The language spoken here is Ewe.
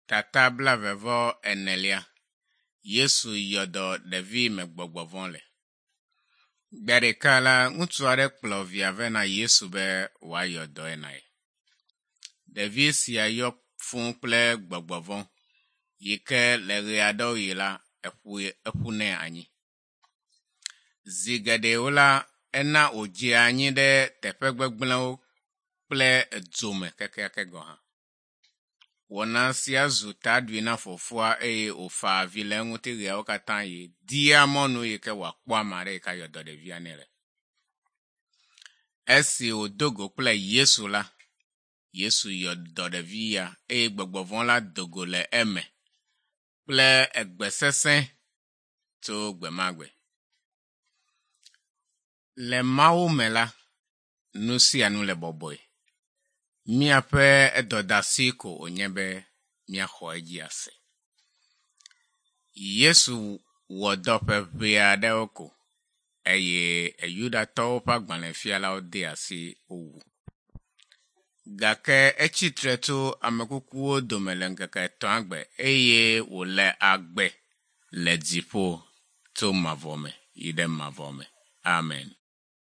Tata blaeve-vɔ-enelia. Yesu yɔ dɔ ɖevi me gbɔgbɔ vɔ̃ le. Gbe ɖeka la, ŋutsu aɖe kplɔ via vɛ na Yesu be wòayɔ dɔe na ye. Ɖevi sia yɔ fũu kple gbɔgbɔ vɔ̃ yi ke le ɣe aɖewo ɣi la, eƒunɛ anyi. Zi geɖewo la, ena wòdzea anyi ɖe teƒe gbegblẽwo kple dzo me kekeake gɔ̃ hã. Wɔna sia zu taɖui na fofoa eye wòfa avi le eŋuti ɣeawo katã ɣi dia mɔnu yi ke wòakpɔ ame aɖe yi ke ayɔ dɔ ɖevia nɛ le. Esi wòdo go kple Yesu la, Yesu yɔ dɔ ɖevi ya eye gbɔgbɔ vɔ̃ la do go le eme kple egbe sesẽ tso gbe ma gbe. Le Mawu me la, nu sia nu le bɔbɔe. Míaƒe dɔdeasi ko wònye be míaxɔ edzi ase. Yesu wɔ dɔ ƒe ʋɛ aɖewo ko eye Yudatɔwo ƒe agbalẽfialawo de asi wowu. Gake etsi tre tso ame kukuwo dome le ŋkeke etɔ̃a gbe eye wòle agbe le dziƒo tso mavɔ me yi ɖe mavɔ me. Amen.